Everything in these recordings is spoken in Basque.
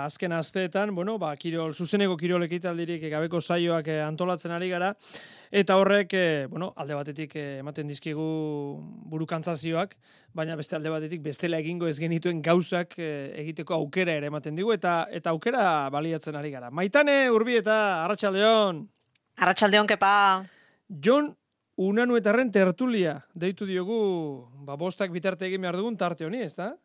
Azken asteetan, zuzeneko kirol ekitaldirik gabeko saioak antolatzen ari gara, eta horrek, alde batetik ematen dizkigu burukantzazioak, baina beste alde batetik bestela egingo ez genituen gauzak egiteko aukera ere ematen digu, eta aukera baliatzen ari gara. Maitane, Urbieta, arratsaldeon. Arratsaldeon, kepa. Jon Unanuetarren tertulia deitu diogu, bostak bitarte egin behar dugun tarte honi, ez da?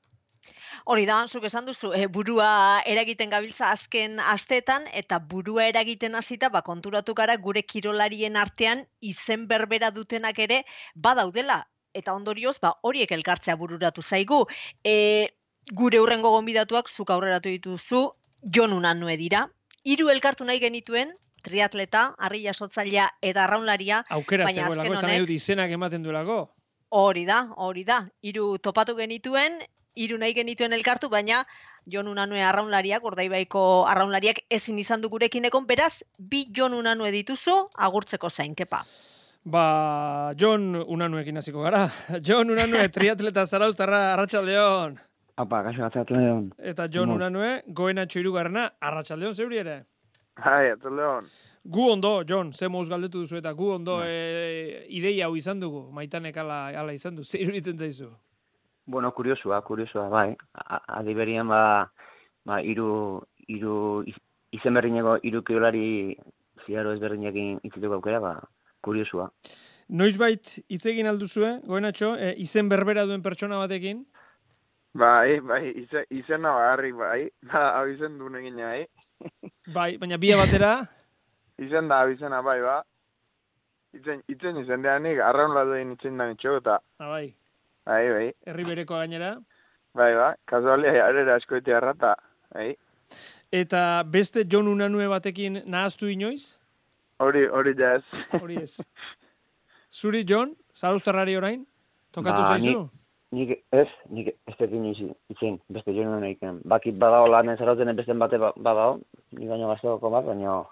Hori da, zuk esan duzu, burua eragiten gabiltza azken asteetan, eta burua eragiten hasita konturatu gara gure kirolarien artean izen berbera dutenak ere badaudela. Eta ondorioz, horiek elkartzea bururatu zaigu. Gure hurrengo gonbidatuak zuk aurreratu dituzu, Jon Unanue dira. 3 elkartu nahi genituen, triatleta, harri jasotzailea eta arraunlaria. Aukera zegoelako, esan nahi dut izenak ematen duelako. Hori da. 3 topatu genituen, 3 nahi genituen elkartu, baina Jon Unanue arraunlariak, Urdaibaiko arraunlariak ezin izan du gurekin egon, beraz, 2 Jon Unanue dituzu, agurtzeko zain, kepa. Jon Unanuekin hasiko gara. Jon Unanue, triatleta zarauztarra, arratsaldeon. Apa, kaixo, arratsaldeon. Eta Jon Unanue, Goenatxo 3. arratsaldeon zeuri ere. Hai, arratsaldeon. Gu ondo, Jon, ze mouz galdetu duzu, eta gu ondo ideia hau izan dugu, Maitanek ala izan du, zer iruditzen zaizu? Bueno, kuriosua, bai. Adiberian, iru izen berdineko 3 kirolari ziaro ezberdinekin itzituko aukera, kuriosua. Noizbait hitz egin alduzue, Goenatxo, izen berbera duen pertsona batekin? Bai, izena bagarrik, bai. Hau izen duen egin, bai. Bai, baina bia batera? Izena, bai, ba. Itzen izen deanik, arraun laduen itzen da nitxo, eta... Bai. Bai. Herri bereko gainera? Bai, kasualia jarrera askoetea errata, bai. Eta beste Jon Unanue batekin nahaztu inoiz? Hori jaz. Hori ez. Zuri, Jon, zarauztarrari orain? Tokatu zaizu? Nik ez tekin izen, beste Jon Unanuekin. Bakit badao lan zarauten beste bate badao, nik baino gazteoko bat, baina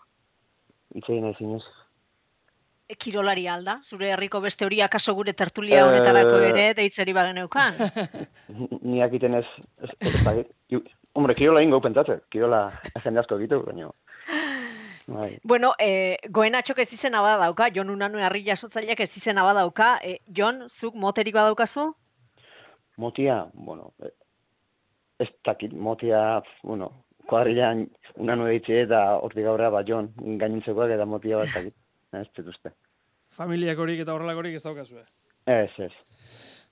itzen ez inoiz. Kirolari alda, zure herriko beste hori akaso gure tertulia honetarako ere deitzeri bageneukan. Niak iten ez dakit. Hombre, kirola ingo pentsatze, kirola jende asko egitu, baina... Bueno, Goenatxok ez izena badauka, Jon Unanue harri jasotzaileak ez izena badauka. Jon, zuk moterik badaukazu? Motia, ez dakit, motia, kuadrilan Unanue ditxe eta hortik aurrera Jon gainintzekoak eta motia bat dakit. Ez dituzte. Familiak horik eta horrelakorik ez daukazue? Ez.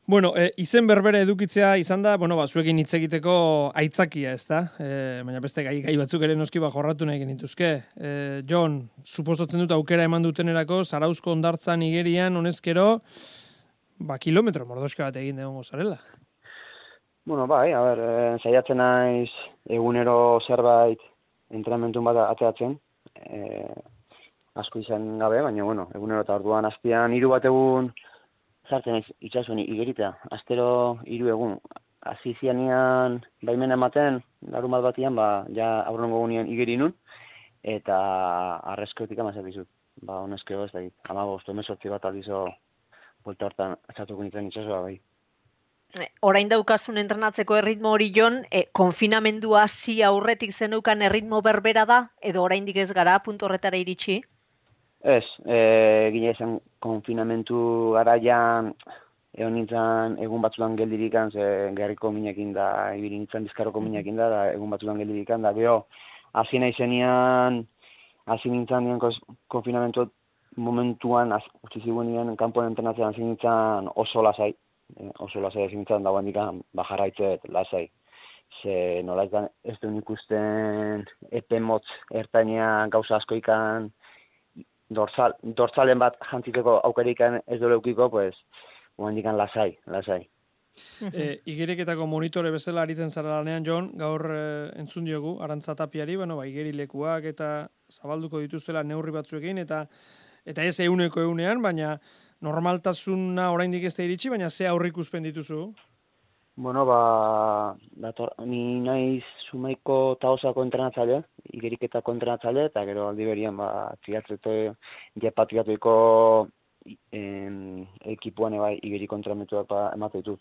Bueno, izen berbera edukitzea izan da, zuekin hitz egiteko aitzakia, ez da? Baina beste gai batzuk ere noski jorratu nahi genituzke. Jon, suposatzen dut aukera eman dutenerako, Zarauzko hondartzan igerian, honezkero, kilometro mordoska bat egin egongo zarela. Bueno, bai, saiatzen naiz egunero zerbait entrenamentu bat ateratzen, asko izan gabe, baina, egunero eta orduan azpian 3 bat egun zartzen itxasuan igeritea. Astero 3 egun. Hasi zianian baimena ematen, larun bat batian, ja aurrengo egunean igeri nun, eta arrezkoetik amazak dizut. Honezkeo ez da, 15-18 bat aldizo buelta hortan atzatuko nintzen itxasua bai. Orain daukazun entrenatzeko erritmo hori, Jon, konfinamendua hasi aurretik zeneukan erritmo berbera da, edo oraindik ez gara puntu horretara iritsi? Ez, gine esan konfinamentu garaian egon nintzen egun batzutan geldirikan, ze gerriko minekin da, ibili nintzen bizkarroko minekin da egun batzutan geldirikan da, geho, hasi nintzen konfinamentu momentuan, utzi zigunean, kanpoan entrenatzen hasi nintzen oso lasai hasi nintzen dagoen dikan, jarraitzet, lasai. Ze nola ez duen ikusten epe motz ertainean gauza askoikan, dortzalen bat jantziteko aukerikan ez dole eukiko, pues, momendikan lasai. Igereketako monitore bezala aritzen zara lanean, Jon, gaur entzun diogu, Arantza Tapiari, igerilekuak eta zabalduko dituztela neurri batzuekin, eta ez egunean, baina normaltasuna oraindik ez da iritsi, baina ze aurrikuspen dituzu? Bueno, ni naiz Zumaiko Taosako entrenatzaile, igeriketako entrenatzaile, eta gero aldi berian, triatlete jepatiatuiko ekipuan igeriko entrenamentuak emate ditut.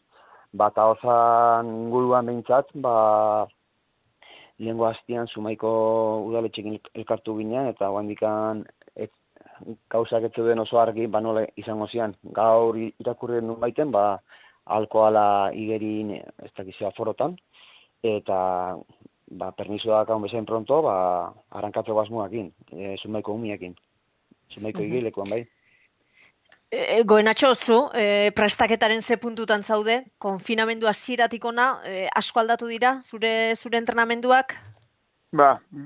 Taosan inguruan behintzat, lehengo hastian Zumaiko udaletxekin elkartu ginen, eta oandikan gauzak ez zeuden oso argi, nola izango zian. Gaur irakurri nun baiten, alkohala igerin, ez dakizea forotan, eta permisoak hau bezain pronto, arrankatzeko asmoakin, Zumaiko umiekin. Zumaiko igilekuan, bai. Goenatxo, zu, prestaketaren ze puntutan zaude, konfinamendu hasieratik ona, asko aldatu dira, zure entrenamenduak?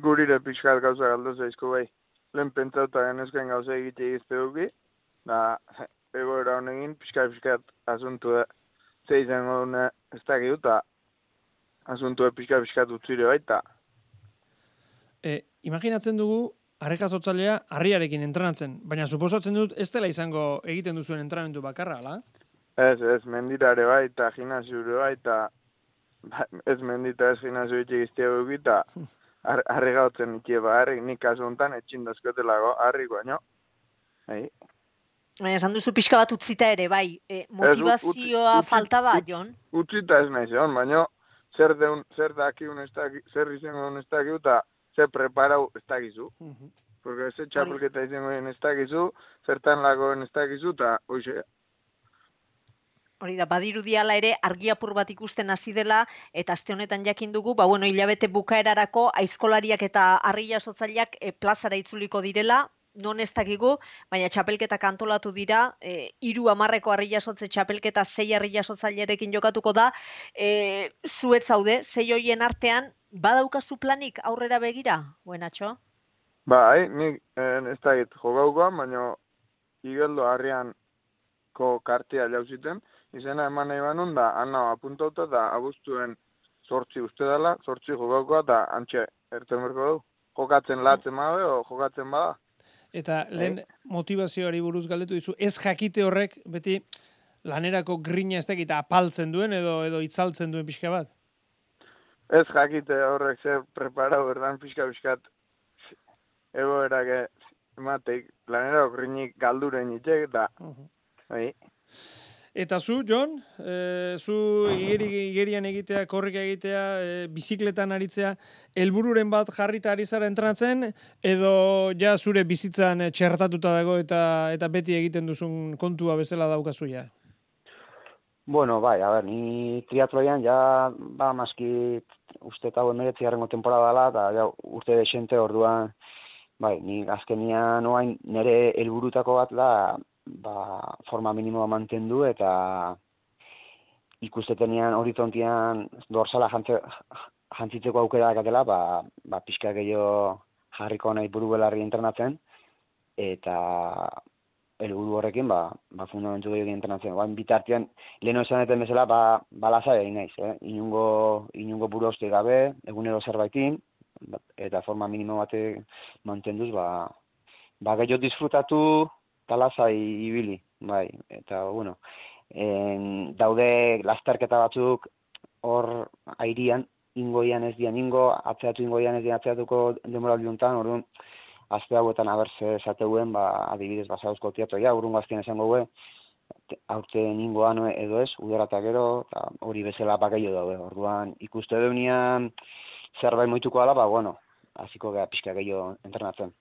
Gurire pixkat gauza galdu zaizko bai. Lehen pentsauta genezken gauza egite duki, da egoera honegin pixkat asuntu ze izango dune ez dakit, eta asuntu pixkat utzire baita. Imaginatzen dugu, arrekazotzailea harriarekin entrenatzen, baina suposatzen dut ez dela izango egiten duzuen entrenamendu bakarra, ala? Ez, mendirare bai, eta gimnasiure bai, eta ez mendita ez gimnasio itxegiztia duki, eta harri gautzen ikie harri, nik kasu honetan etxindazkotelago harri baino. Esan duzu pixka bat utzita ere, bai, motivazioa falta da, Jon? Utzita ez nahi zeon, baino zer dakiun ez dakik, zer izango ez dakik, eta zer preparau ez dakizu. Porque ez txapelketa izango ez dakizu, zertan lagoen ez dakizu, eta hoxe. Hori da, badirudiala ere argi apur bat ikusten hasi dela, eta aste honetan jakin dugu, hilabete bukaerarako aizkolariak eta harri jasotzaileak plazara itzuliko direla, non ez dakigu, baina txapelketak antolatu dira, 3-10 harri jasotze txapelketa 6 harri jasotzailerekin jokatuko da, zuet zaude, 6 hoien artean, badaukazu planik aurrera begira, Goenatxo? Nik ez dakit jokaukoan, baina igeldo harrian kartea jauziten, izena eman nahi banun da, anna apuntauta da abuztuen 8 uste dela, 8 jokaukoa, eta antxe erten berko du. Jokatzen latzen mabe, o jokatzen bada. Eta lehen motivazioari buruz galdetu dizu, ez jakite horrek beti lanerako grina ez dakit apaltzen duen edo itzaltzen duen pixka bat? Ez jakite horrek zer preparau berdan pixkat egoerak emateik lanerako grinik galduren itxek, eta Eta zu, Jon, zu igerian egitea, korrika egitea, bizikletan aritzea, helbururen bat jarrita ari zara entrenatzen, edo ja zure bizitzan txertatuta dago eta beti egiten duzun kontua bezala daukazu ja? Bueno, ni triatloian ja, maski uste eta 19. temporada dela, eta ja, urte desente orduan, ni azkenian oain nire helburutako bat da, forma minimoa mantendu eta ikustetenean horizontian dorsala jantzitzeko aukera dakatela, pixka gehiago jarriko nahi buru belarri entrenatzen, eta helburu horrekin, fundamentu gehiago entrenatzen. Bitartean, leheno esaneten bezala, lasai egin naiz, inungo buru hauste gabe, egunero zerbaitin, eta forma minimo bate mantenduz, gehiago disfrutatu, talasai ibili, eta, daude lasterketa batzuk hor airian, ingoian ez dian atzeatuko demoraldi honetan, orduan, azte hauetan abertze esateuen, adibidez, basauzko teatroia, urrungo azken esango gue, aurten ingoan edo ez, udara eta gero, hori bezala gehiago daude, orduan, ikuste deunian zerbait moituko ala, hasiko gara pixka gehiago entrenatzen.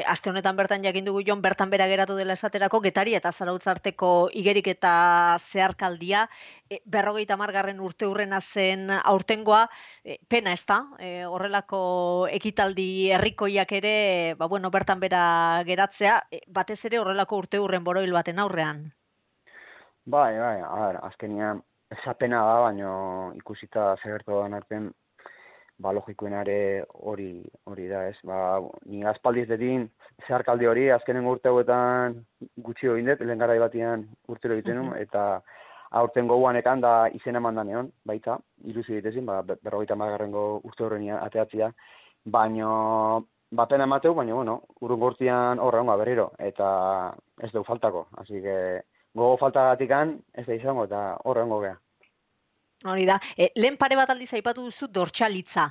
Aste honetan bertan jakin dugu, Jon, bertan bera geratu dela esaterako, Getari eta Zarautz arteko igerik eta zeharkaldia, 50. urte hurrena zen aurtengoa, pena ez da, horrelako ekitaldi herrikoiak ere, bertan bera geratzea, batez ere horrelako urte hurren boroil baten aurrean. Azkenean, esapena da, baina ikusita zegertu da artean, logikoenare hori da, ez? Ni aspaldiz dedin zeharkaldi hori, azkenen urte hauetan gutxi egin dut, lehen garai batian urtero egiten nun, eta aurten goguanekan da izen eman da neon, baita, ilusio ditezin, 50. urte horrenia ateatzia, baina, pena emateu, baina, urrun gortian horra honga berriro, eta ez dugu faltako, así que gogo faltagatikan ez da izango, eta horra hongo gea. Hori da, lehen pare bat aldiz aipatu duzu dortsalitza.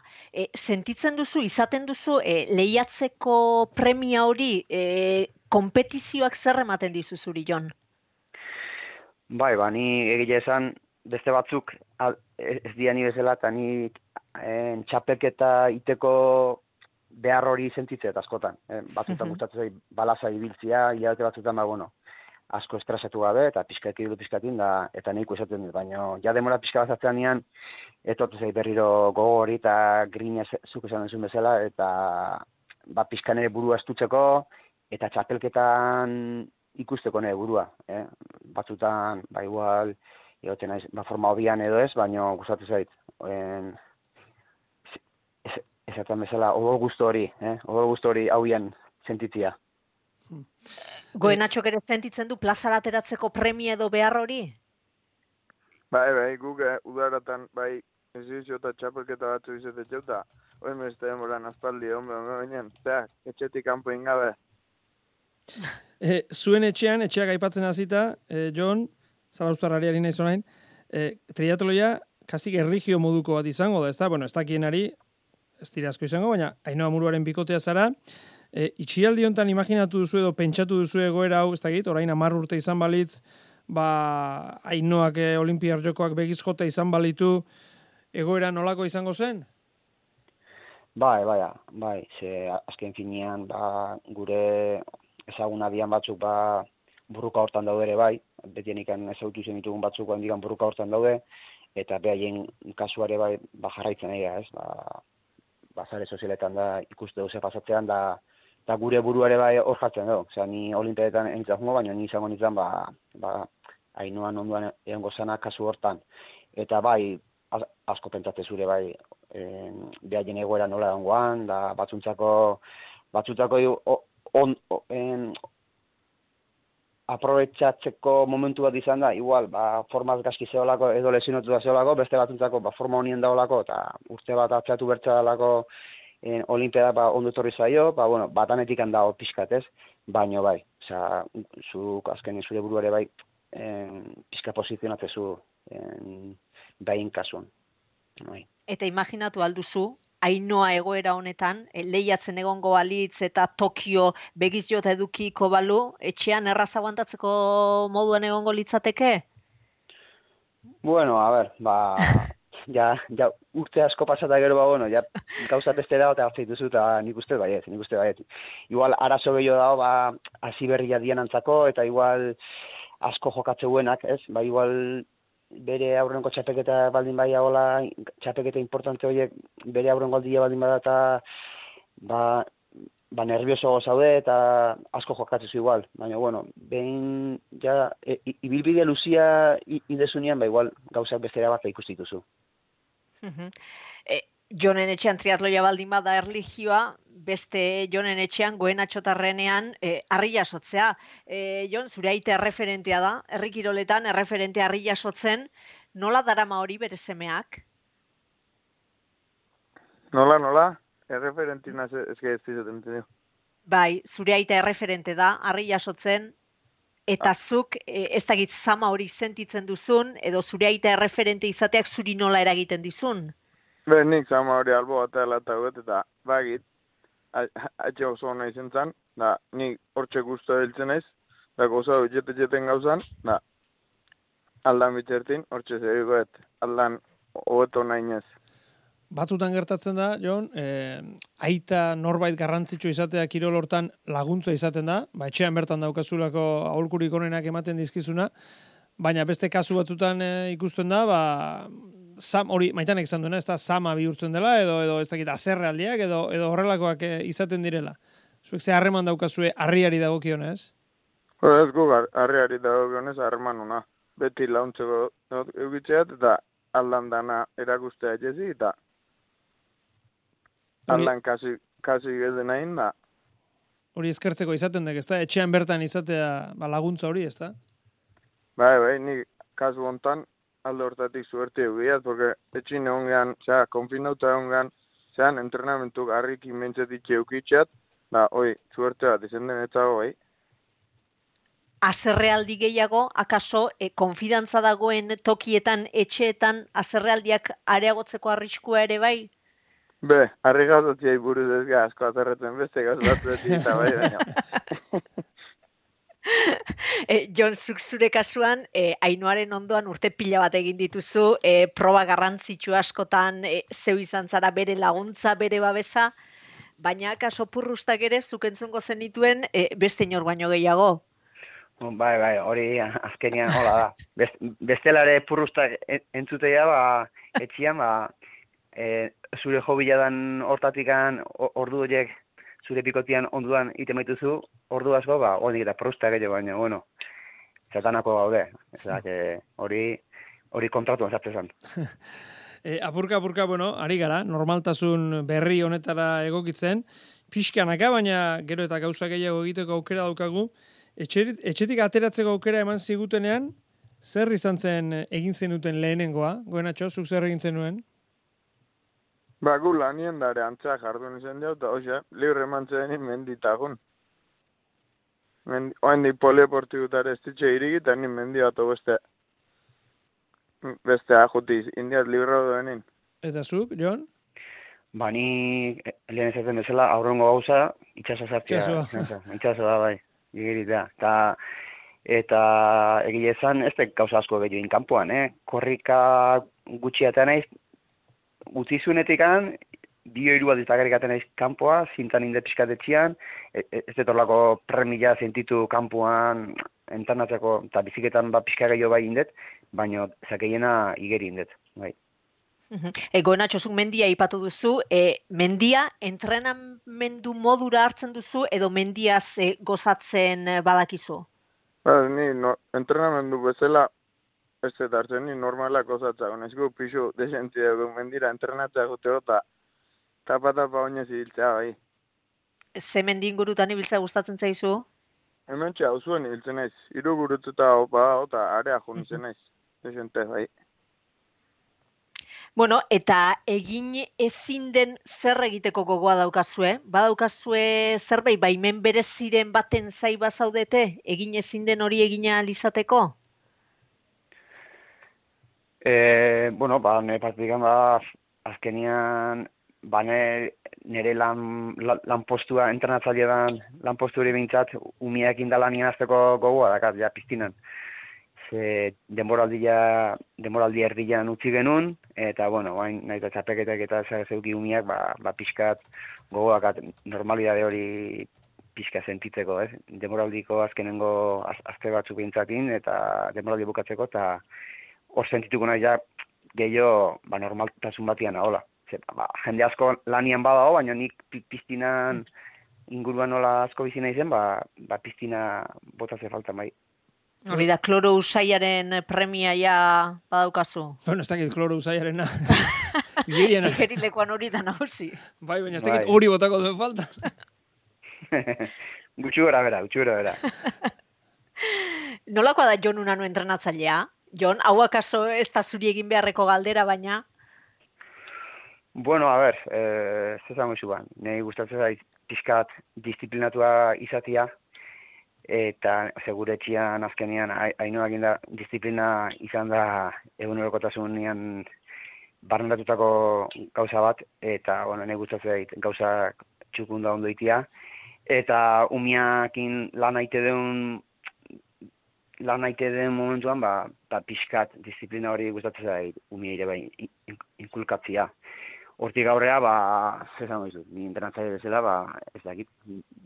Sentitzen duzu, izaten duzu, lehiatzeko premia hori, konpetizioak zer ematen dizu zuri, Jon? Ni egile esan, beste batzuk ez diani bezala, eta ni txapelketa iteko behar hori sentitzet askotan. Batzutan gustatzen zait balaza ibiltzia, hilabete batzutan, asko estresatu gabe, eta pixkatin, eta nahiko esaten dut, baina ja demora pixka bat atzean nian, etortu zait berriro gogo hori, eta grina zuk esan duzun bezala, eta pixkan ere burua estutzeko, eta txapelketan ikusteko nire burua. Batzutan, igual, egoten naiz, forma hobian edo ez, baina gustatu zait. Esaten bezala, odol guztu hori hauian sentitzia. Goenatxok ere sentitzen du plazara ateratzeko premia edo behar hori? Bai, guk udaratan, ezizio eta txapelketa batzu izatetxo, eta hori meste demoran aspaldi, baina, etxetik kanpo ingabe. Zuen etxeak aipatzen hasita, Jon, Zarauztarrari nahi zonain, triatloia kasik erligio moduko bat izango da, ez da? Bueno, ez dakienari, ez dira asko izango, baina Ainhoa Muruaren bikotea zara, itxialdi honetan imaginatu duzu edo pentsatu duzu egoera hau, ez dakit, orain 10 urte izan balitz, Ainhoak Olinpiar Jokoak begiz jota izan balitu, egoera nolako izango zen? Bai, ze azken finean, gure ezaguna dian batzuk, burruka hortan daude ere bai, betienik ezagutu zen ditugun batzuk handikan burruka hortan daude, eta behaien kasuare bai, jarraitzen egia, ez, sare sozialetan da ikuste duze pasatzean, da gure buruare bai hor jartzen dugu. Osea, ni olimpiadetan enitzen jungo, baina ni izango nintzen, Ainhoan onduan egongo zana kasu hortan. Eta bai, asko pentsatze zure bai, behaien egoera nola egongoan, da batzuntzako aprobetxatzeko momentu bat izan da, igual, formaz gaski zeolako, edo lesionotu da zeolako, beste batzuntzako forma honien daolako, eta urte bat atxatu bertza dalako olimpiada ondo etorri zaio, batanetik handago pixkat ez, baino bai, zuk azken zure buruare bai, pixka posizionatzezu behin kasuan. Eta imaginatu alduzu, Ainhoa egoera honetan, lehiatzen egongo balitz eta Tokio begiz jota edukiko balu, etxean erraz aguantatzeko moduan egongo litzateke? Bueno, a ver, ja urte asko pasata gero, ja gauza beste dago eta hartzeit duzu, eta nik uste baiet. Igual, arazo gehiago dago, hasi berria dian antzako, eta igual asko jokatzeuenak, ez? Igual, bere aurrenko txapeketa baldin bai agola, txapeketa importante horiek bere aurrengo aldia baldin bada eta nervioso zaude eta asko jokatzezu igual. Baina, behin ja ibilbide luzia idezunean, igual gauzak bestera bat ikusi dituzu. Jonen etxean triatloia baldin bada erlijioa, beste Jonen etxean Goenatxotarrenean harri jasotzea. Jon, zure aita erreferentea da, herri kiroletan erreferentea harri jasotzen, nola darama hori bere semeak? Nola? Erreferentina ezke ez dizaten dio. Bai, zure aita erreferente da, harri jasotzen, eta zuk ez dakit zama hori sentitzen duzun, edo zure aita erreferente izateak zuri nola eragiten dizun? Nik zama hori albo batela eta gut, eta bagit, atxe oso hona izen zan, da nik hortxe guztu hiltzen ez, da goza jeten gauzan, da aldan bitxertin, hortxe zerikoet, aldan hobeto nahi ez. Batzutan gertatzen da, Jon, aita norbait garrantzitsu izatea kirol hortan laguntza izaten da, etxean bertan daukazulako aholkurik onenak ematen dizkizuna, baina beste kasu batzutan ikusten da, hori Maitanek esan duena, ez da sama bihurtzen dela, edo ez dakit azerrealdiak, edo horrelakoak izaten direla. Zuek ze harreman daukazue harriari dagokionez? Ez gu harriari dagokionez harreman una. Beti launtzeko eugitzeat, eta aldan dana erakustea jezi, eta aldan kasi gezen nahin, da. Hori eskertzeko izaten dek, ez da? Etxean bertan izatea laguntza hori, ez da? Bai, nik kasu hontan, alde hortatik suerte egiat, porque etxin egon gehan, konfinauta egon gehan, entrenamentuk harrikin mentzetik eukitxeat, da, suerte bat izen denetzago, bai. Azerrealdi gehiago, akaso, konfidantza dagoen tokietan, etxeetan, azerrealdiak areagotzeko arriskua ere bai? Harri gauzatziai buruz ez asko azerretzen beste gauzatzen eta bai, baina. Jon, zuk zure kasuan, Ainoaren ondoan urte pila bat egin dituzu, proba garrantzitsu askotan, zeu izan zara bere laguntza, bere babesa, baina kaso purrustak ere zuk entzungo zenituen beste inor baino gehiago. Bai, hori azkenian hola da. Bestelare purrustak entzutea, etxian, zure jobiladan hortatikan ordu horiek zure pikotian onduan ite maituzu, ordu asko, hori eta purrustak gehiago, baina, bueno, zatanako gaude. Ezak, hori kontratuan zartzen zen. Apurka, bueno, ari gara, normaltasun berri honetara egokitzen, pixkanaka, baina gero eta gauza gehiago egiteko aukera daukagu, etxetik ateratzeko aukera eman zigutenean, zer izan zen egin zenuten lehenengoa? Goenatxo, zuk zer egin zenuen? Gu lanien dare antzea jardun izan dio, eta hoxe, libre mantzen menditagun. Oendik polieportibutare ez ditxe irigita, ni mendiatu beste ajutiz, indiat libre duenin. Eta zuk, Jon? Ni lehen ezaten bezala, aurrengo gauza, itxaso zartia. Itxasoa, bai, igeritea. Eta egile esan, ez da gauza asko gehiagin kanpoan, Korrika gutxiatean naiz, utizunetikan, 2-3 bat iztagarrikaten naiz kanpoa, zintan inde pixkatetxian, ez dut horlako premila sentitu kanpoan, entarnatzeko, eta biziketan pixka gehiago bai indet, baina zakeiena igeri indet, bai. Goenatxo, zuk mendia ipatu duzu, mendia entrenamendu modura hartzen duzu, edo mendiaz gozatzen badakizu? Ni entrenamendu bezala, ez dut hartzen, ni normalak gozatza, honezko pixu desentzia du mendira entrenatzea guteo, eta tapa oinez ibiltzea, bai. Ze mendi ingurutan ibiltzea gustatzen zaizu? Hemen txea, hauzuen ibiltzen naiz, 3 gurututa eta area junitzen naiz, desente, bai. Bueno, eta egin ezin den zer egiteko gogoa daukazue? Badaukazue zerbait baimen bereziren baten zai bazaudete? Egin ezin den hori egina alizateko? Nire partikan azkenian, nire lanpostua, entrenatzailean lanpostu hori behintzat, umiak indalanien azteko gogoa dakat, ja, piztinan. Denboraldi erdian utzi genuen, eta, bain, nahi eta txapeketak eta zeuki umiak, pixkat gogoakat normalidade hori pixka sentitzeko, Denboraldiko azkenengo azte batzuk behintzakin, eta denboraldi bukatzeko, eta hor sentituko nahi ja gehiago normaltasun batian ahola. Jende asko lanian badao, baina nik piztinan inguruan nola asko bizi nahi zen, piztina botatze falta bai. Hori da, kloro usaiaren premia ja badaukazu. Ez dakit kloro usaiarena. Igerilekoan hori da nagusi. Bai, baina ez dakit hori botako duen falta. Gutxu gara bera. Nolakoa da Jon Unano entrenatzailea? Jon, hau akaso ez da zuri egin beharreko galdera, baina? Zezango izuan. Nei gustatzen zait pixkat disiplinatua izatia, eta seguretxian azkenean Ainoak da disiplina izan da egunerokotasunean barneratutako gauza bat, eta nei gustatzen zait gauza txukunda ondo itia, eta umiakin lan aite den momentuan, pixkat disiplina hori gustatzen zait umia ere bai inkulkatzia. Hortik aurrea, zezango izu, ni entrenatzaile bezala, ez dakit,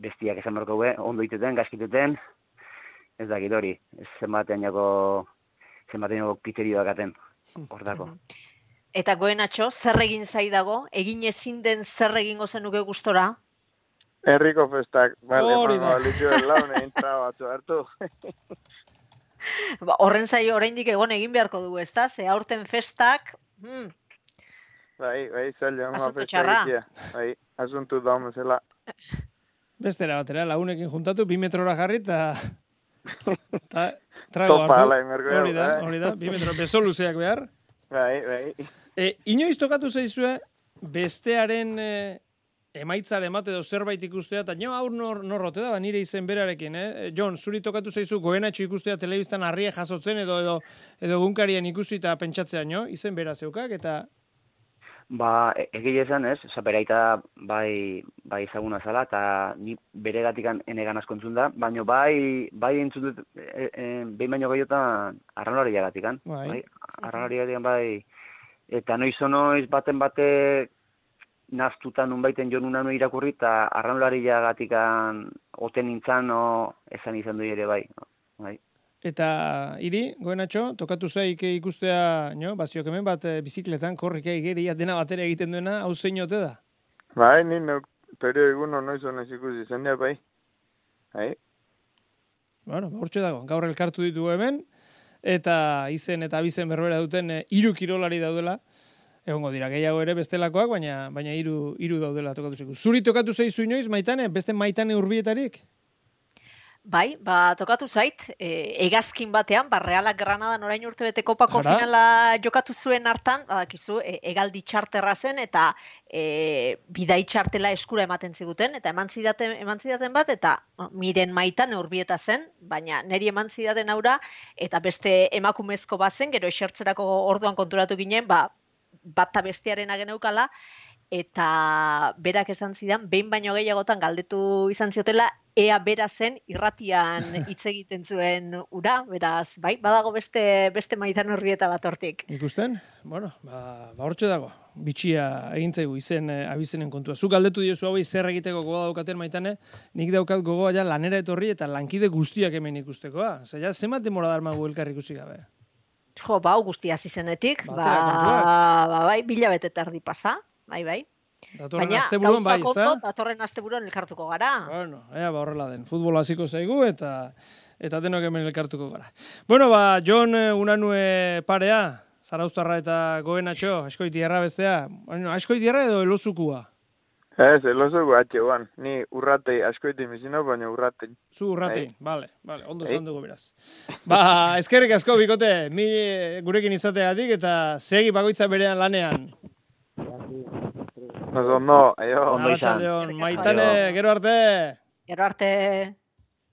bestiak esan berko ondo iteten, gaskiteten, ez dakit hori, zenbatean jako kriterioak aten, hor dako. Eta Goenatxo, zer egin zaidago? Egin ezin den zer egingo zenuke gustora? Herriko festak, balituen laune intra batzu hartu. Horren zaio oraindik egon egin beharko du, ezta? Ze aurten festak... Bai, zaila, asunto txarra. Bai, asuntu da homezela. Bestera batera, lagunekin juntatu, 2 metrora jarri, eta trago hartu. Hori da, 2 metro, beso luzeak behar. Bai. Inoiz tokatu zaizue, bestearen emaitzaren bat edo zerbait ikustea, eta hau norrote da, nire izen berarekin, Jon, zuri tokatu zaizu Goenatxo ikustea telebistan harria jasotzen edo gunkarien ikusi eta pentsatzea, izen bera zeukak, eta... Ba, egia esan ez, Zaperaita bai ezaguna zala, eta ni beregatikan enegan asko entzun da, baina bai entzun dut, behin baino gehiotan arraunlariagatikan. Bai, arraunlariagatikan bai, eta noiz baten bate naztuta nunbaiten jo nuna irakurri, eta arraunlariagatikan oten nintzan, esan izan du ere bai. Eta hiri, Goenatxo, tokatu zaik ikustea, baziok hemen bat bizikletan, korrika igeria dena batera egiten duena, hau zein ote da? Bai, ni perio eguno noiz honez ikusi zendea, bai. Bueno, hortxe dago, gaur elkartu ditugu hemen, eta izen eta abizen berbera duten 3 kirolari daudela, egongo dira, gehiago ere bestelakoak, baina 3 daudela tokatu zaigu. Zuri tokatu zaizu inoiz, Maitane, beste Maitane hurbietarik? Bai, tokatu zait, hegazkin batean, Realak Granadan orain urtebete kopako finala jokatu zuen hartan, badakizu, hegaldi txarterra zen, eta bidai txartela eskura ematen ziguten, eta eman zidaten bat, eta miren Maitane hurbieta zen, baina niri eman zidaten aura, eta beste emakumezko bat zen, gero esertzerako orduan konturatu ginen, bata bestearen ageneukala, eta berak esan zidan, behin baino gehiagotan galdetu izan ziotela, ea bera zen irratian hitz egiten zuen ura, beraz, bai, badago beste Maitane hurbieta bat hortik. Ikusten? Bueno, hortxe dago. Bitxia egintzaigu izen abizenen kontua. Zuk galdetu diozu hauei zer egiteko gogoa daukaten, Maitane, nik daukat gogoa ja lanera etorri eta lankide guztiak hemen ikustekoa. Zaila, zenbat demora darmagu elkar ikusi gabe? Jo, guztia zizenetik, bai, 1000 bete erdi pasa. Bai. Baina, gauzak ondo, datorren asteburuan elkartuko gara. Bueno, horrela den. Futbol hasiko zaigu eta denok hemen elkartuko gara. Bueno, Jon Unanue parea, Zarauztarra eta Goenatxo, Askoitierra bestea. Bueno, Askoitierra edo Elozukua? Ez, Elozukua atxegoan. Ni urratei Askoiti mizino, baina urratei. Zu urratei, bale, ondo esan dugu beraz. Eskerrik asko, bikote, gurekin izateagatik eta segi bakoitza berean lanean. Ondo, aio. Maitane, gero arte. Gero arte.